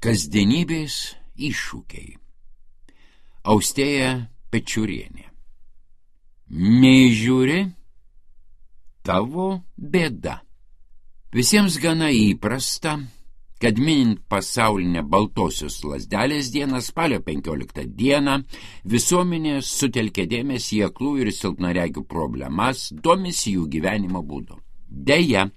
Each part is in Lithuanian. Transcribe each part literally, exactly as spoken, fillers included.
Kasdienybės iššūkiai. Austėja Pečiurienė. Neįžiūri, tavo bėda. Visiems gana įprasta, kad minint pasaulinę baltosios lazdelės dieną spalio penkioliktą dieną visuomenė sutelkė dėmesį į aklų ir silpnaregių problemas, domisi jų gyvenimo būdu. Deja,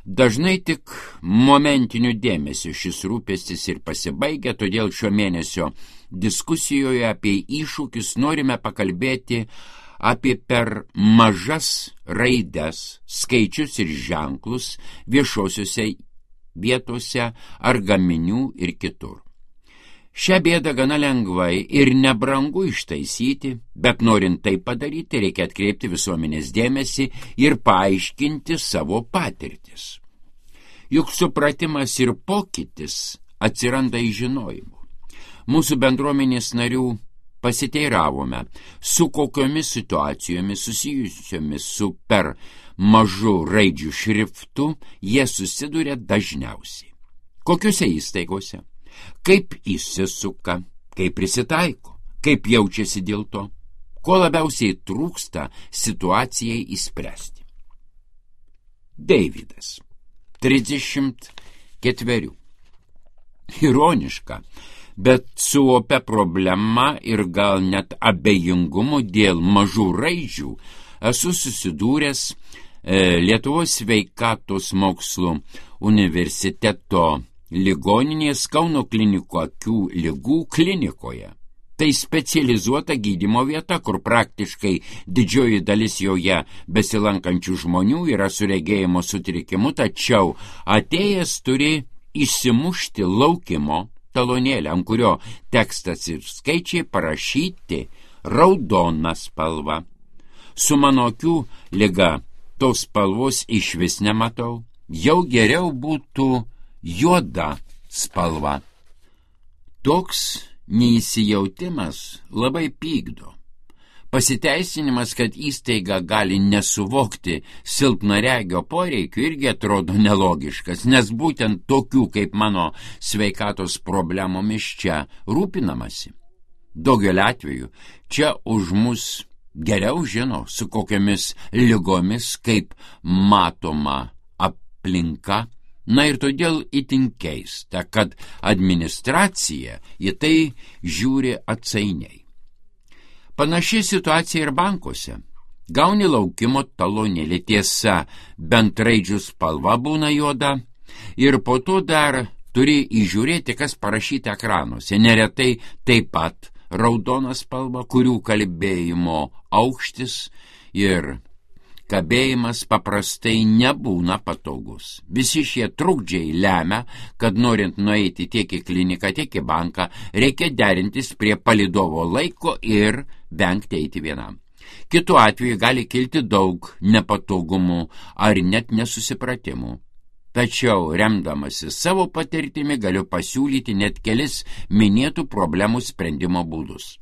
dažnai tik momentiniu dėmesiu šis rūpestis ir pasibaigia, todėl šio mėnesio diskusijoje apie iššūkius norime pakalbėti apie per mažas raides, skaičius ir ženklus viešosiuose vietose ar gaminių ir kitur. Šią bėdą gana lengvai ir nebrangu ištaisyti, bet norint tai padaryti, reikia atkreipti visuomenės dėmesį ir paaiškinti savo patirtis. Juk supratimas ir pokytis atsiranda iš žinojimo. Mūsų bendruomenės narių pasiteiravome, su kokiomis situacijomis susijusiomis su per mažu raidžių šriftu jie susiduria dažniausiai. Kokiuose įstaigose? Kaip įsisuka, kaip prisitaiko, kaip jaučiasi dėl to, ko labiausiai trūksta situacijai įspręsti. Deividas, trisdešimt ketverių. Ironiška, bet su opia problema ir gal net abejingumu dėl mažų raidžių esu susidūręs e, Lietuvos sveikatos mokslų universiteto ligoninės Kauno klinikų akių ligų klinikoje. Tai specializuota gydymo vieta, kur praktiškai didžioji dalis joje besilankančių žmonių yra su regėjimo sutrikimu, tačiau atėjęs turi išsimušti laukimo talonėlį, ant kurio tekstas ir skaičiai parašyti raudona spalva. Su mano akių liga tos spalvos išvis nematau, jau geriau būtų juoda spalva. Toks neįsijautimas labai pykdo. Pasiteisinimas, kad įstaiga gali nesuvokti silpnaregio poreikių, irgi atrodo nelogiškas, nes būtent tokių kaip mano sveikatos problemomis čia rūpinamasi. Daugelį atvejų čia už mus geriau žino, su kokiamis ligomis, kaip matoma aplinka. Na ir todėl itin keista, kad administracija į tai žiūri atsainiai. Panaši situacija ir bankuose. Gauni laukimo talonėlį, tiesa, bent raidžių spalva būna juoda ir po to dar turi įžiūrėti, kas parašyta ekranuose. Neretai taip pat raudona spalva, kurių kalbėjimo aukštis ir kabėjimas paprastai nebūna patogus. Visi šie trukdžiai lemia, kad norint nueiti tiek į kliniką, tiek į banką, reikia derintis prie palydovo laiko ir vengti eiti vienam. Kitu atveju gali kilti daug nepatogumų ar net nesusipratimų. Tačiau, remdamasi savo patirtimi, galiu pasiūlyti net kelis minėtų problemų sprendimo būdus.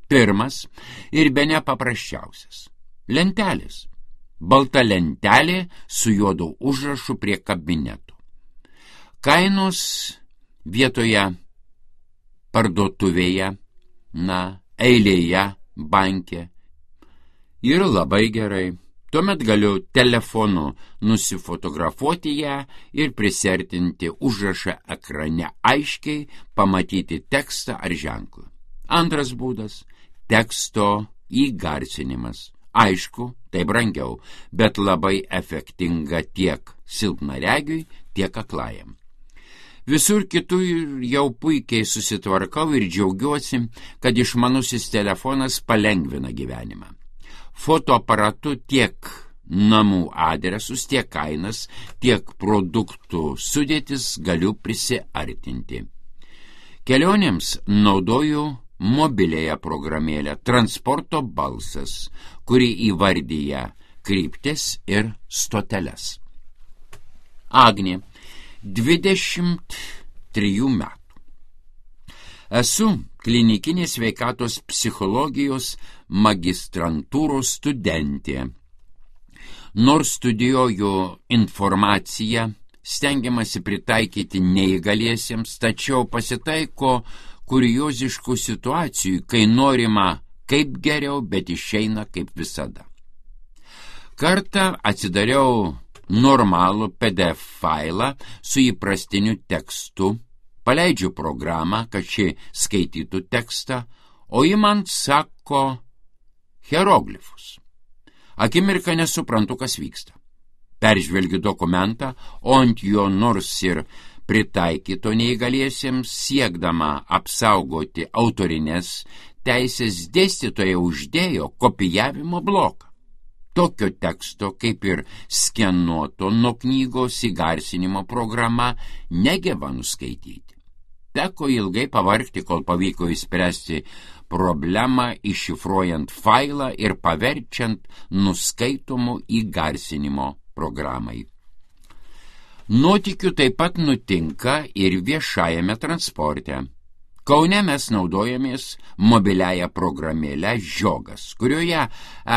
Pirmas ir bene paprasčiausias – lentelės. Balta lentelė su juodu užrašu prie kabinetų. Kainos vietoje parduotuvėje, na, eilėje, banke. Ir labai gerai. Tuomet galiu telefonu nusifotografuoti ją ir prisertinti užrašą ekrane aiškiai, pamatyti tekstą ar ženklą. Antras būdas – teksto įgarsinimas. Aišku, tai brangiau, bet labai efektinga tiek silpnaregiui, tiek aklajam. Visur kitur jau puikiai susitvarkau ir džiaugiuosi, kad išmanusis telefonas palengvina gyvenimą. Fotoaparatu tiek namų adresus, tiek kainas, tiek produktų sudėtis galiu prisiartinti. Kelionėms naudoju mobiliąją programėlę Transporto balsas, kuri įvardyja kryptis ir stoteles. Agnė, dvidešimt trijų metų. Esu klinikinės sveikatos psichologijos magistrantūros studentė. Nors studijuoju informaciją, stengiamasi pritaikyti neįgaliesiems, tačiau pasitaiko kurioziškų situacijų, kai norima kaip geriau, bet išeina kaip visada. Kartą atsidariau normalų P D F failą su įprastiniu tekstu, paleidžiu programą, kad ši skaitytų tekstą, o ji man sako hieroglifus. Akimirką nesuprantu, kas vyksta. Peržvelgiu dokumentą, o ant jo nors ir pritaikyto neįgaliesiems, siekdama apsaugoti autorinės teisės, dėstytoja uždėjo kopijavimo bloką. Tokio teksto, kaip ir skenuoto nuo knygos įgarsinimo programa, negeba nuskaityti. Teko ilgai pavargti, kol pavyko išspręsti problemą, iššifruojant failą ir paverčiant nuskaitomų įgarsinimo programai. Nuotykių taip pat nutinka ir viešajame transporte. Kaune mes naudojamės mobiliąją programėlę Žiogas, kurioje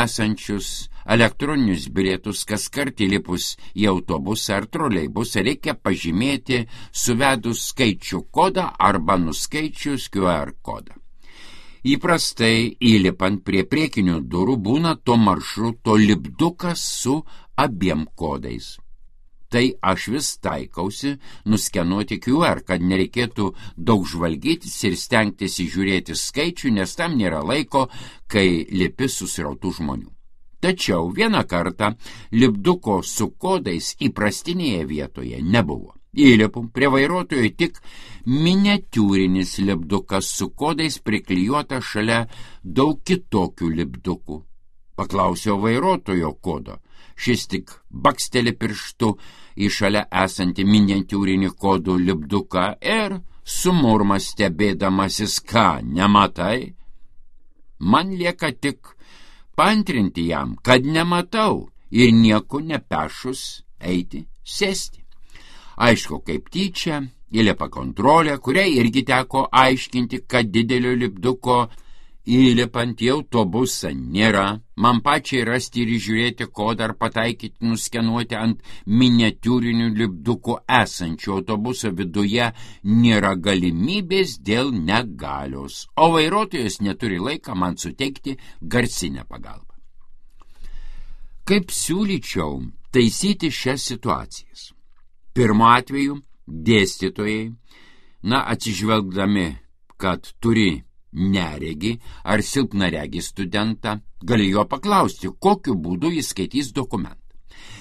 esančius elektroninius bilietus kaskart įlipus į autobusą ar troleibusą reikia pažymėti suvedus skaičių kodą arba nuskaičius Q R kodą. Įprastai įlipant prie priekinių durų būna to maršruto lipdukas su abiem kodais. Tai aš vis taikausi nuskenuoti Q R, kad nereikėtų daug žvalgytis ir stengtis įžiūrėti skaičių, nes tam nėra laiko, kai lipi susirautų žmonių. Tačiau vieną kartą lipduko su kodais įprastinėje vietoje nebuvo. Įlipu prie vairuotojo tik miniatiūrinis lipdukas su kodais priklijuota šalia daug kitokių lipdukų. Paklausiau vairuotojo kodo. Šis tik baksteli pirštu į šalia esantį miniatiūrinį kodų lipduką ir sumurma stebėdamasis, ką nematai. Man lieka tik paantrinti jam, kad nematau ir nieko nepešus eiti sėsti. Aišku, kaip tyčia, įlipa kontrolė, kuriai irgi teko aiškinti, kad didelio lipduko įlipant į autobusą nėra. Man pačiai rasti ir žiūrėti kodą ar pataikyti nuskenuoti ant miniatiūrinių lipdukų esančių autobuso viduje nėra galimybės dėl negalios, o vairuotojas neturi laiką man suteikti garsinę pagalbą. Kaip siūlyčiau taisyti šias situacijas? Pirmu atveju dėstytojai, na, atsižvelgdami, kad turi neregį ar silpnaregį studentą, gali jo paklausti, kokiu būdu jis skaitys dokumentą.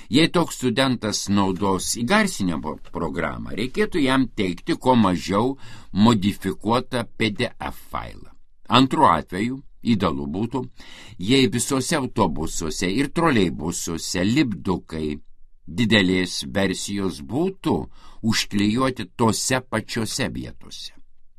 Jei toks studentas naudos įgarsinimo programą, reikėtų jam teikti kuo mažiau modifikuotą P D F failą. Antru atveju idealu būtų, jei visose autobusuose ir troleibusuose lipdukai didelės versijos būtų užklijuoti tose pačiose vietose.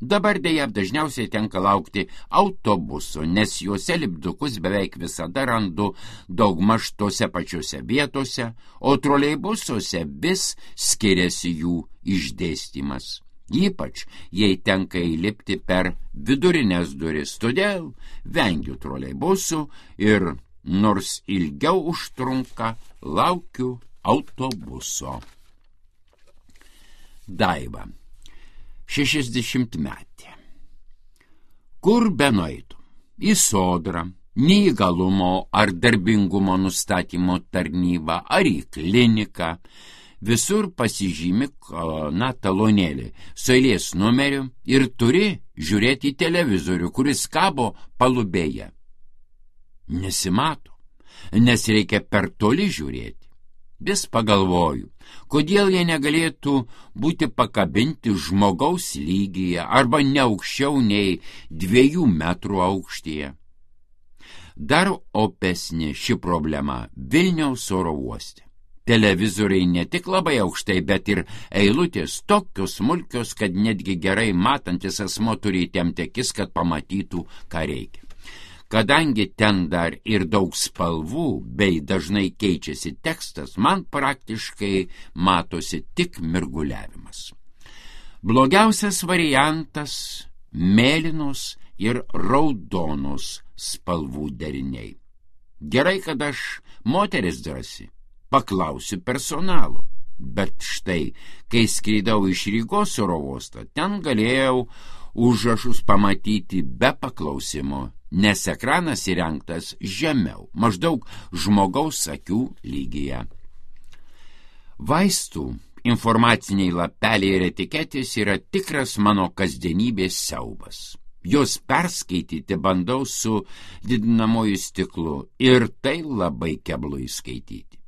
Dabar dėja dažniausiai tenka laukti autobuso, nes juose lipdukus beveik visada randu daugmaž tose pačiose vietose, o troleibusuose vis skiriasi jų išdėstymas. Ypač, jei tenka įlipti per vidurinės duris, todėl vengiu troleibusų ir nors ilgiau užtrunka, laukiu autobuso. Daiva, šešiasdešimtmetė. Kur benueitum? Į sodrą, neįgalumo ar darbingumo nustatymo tarnybą, ar į kliniką. Visur pasižymi, na, talonėlį su eilės numeriu ir turi žiūrėti į televizorių, kuris kabo palubėje. Nesimato, nes reikia per toli žiūrėti. Vis pagalvoju, kodėl jie negalėtų būti pakabinti žmogaus lygyje arba ne aukščiau nei dviejų metrų aukštyje. Dar opesnė ši problema Vilniaus oro uoste. Televizoriai ne tik labai aukštai, bet ir eilutės tokios smulkios, kad netgi gerai matantis asmo turi įtempti akis, kad pamatytų, ką reikia. Kadangi ten dar ir daug spalvų bei dažnai keičiasi tekstas, man praktiškai matosi tik mirguliavimas. Blogiausias variantas – mėlynos ir raudonos spalvų deriniai. Gerai, kad aš moteris drąsi, paklausiu personalo. Bet štai, kai skrydau iš Rygos oro uosto, ten galėjau užrašus pamatyti be paklausimo, nes ekranas įrengtas žemiau, maždaug žmogaus akių lygyje. Vaistų informaciniai lapeliai ir etiketės yra tikras mano kasdienybės siaubas. Jos perskaityti bandau su didinamoju stiklu ir tai labai keblu įskaityti.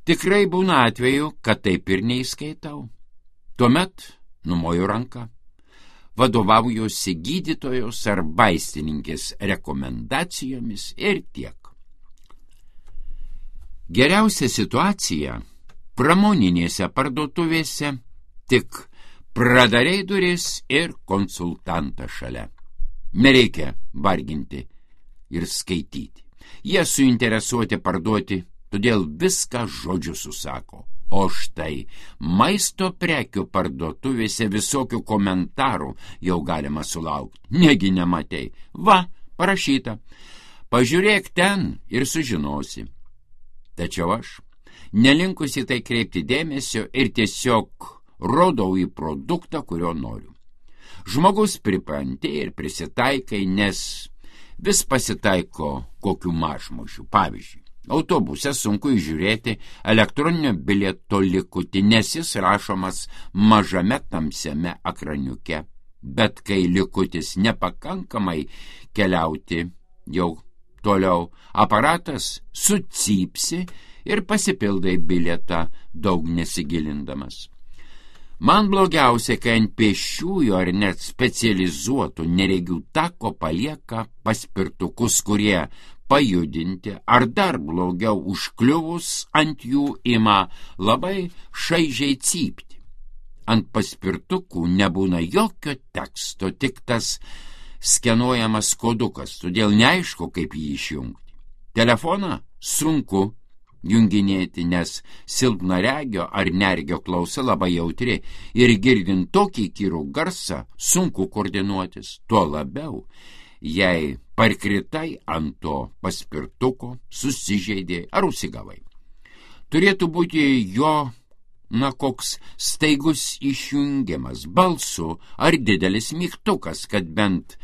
Tikrai būna atveju, kad taip ir neįskaitau. Tuomet numoju ranką, vadovaujuosi gydytojos ar vaistininkės rekomendacijomis ir tiek. Geriausia situacija pramoninėse parduotuvėse, tik pradariai duris ir konsultantą šalia. Nereikia varginti ir skaityti. Jie suinteresuoti parduoti, todėl viską žodžiu susako. O štai maisto prekių parduotuvėse visokių komentarų jau galima sulaukti. Negi nematei. Va, parašyta. Pažiūrėk ten ir sužinosi. Tačiau aš, nelinkusi tai kreipti dėmesio ir tiesiog rodau į produktą, kurio noriu. Žmogus pripranti ir prisitaikai, nes vis pasitaiko kokių mažmožių. Pavyzdžiui, autobuse sunku įžiūrėti elektroninio bilieto likutį, nes jis rašomas mažame tamsiame ekraniuke. Bet kai likutis nepakankamai keliauti jau toliau, aparatas sucypsi ir pasipildai bilietą daug nesigilindamas. Man blogiausia, kai ant pėsčiųjų ar net specializuotų neregių tako palieka paspirtukus, kurie pajudinti ar dar blogiau užkliuvus ant jų ima labai šaižiai cypti. Ant paspirtukų nebūna jokio teksto, tik tas skenuojamas kodukas, todėl neaišku, kaip jį išjungti. Telefoną sunku junginėti, nes silpnaregio ar nergio klausa labai jautri ir girdint tokį įkyrų garsą sunku koordinuotis, tuo labiau, jei parkritai ant to paspirtuko, susižeidė ar užsigavai. Turėtų būti jo, na, koks staigus išjungiamas balsu ar didelis mygtukas, kad bent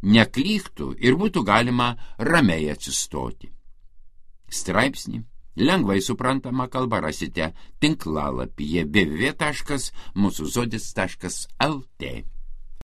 neklyktų ir būtų galima ramiai atsistoti. Straipsnį lengvai suprantama kalba rasite tinklalapyje w w w taškas mūsų žodis taškas l t.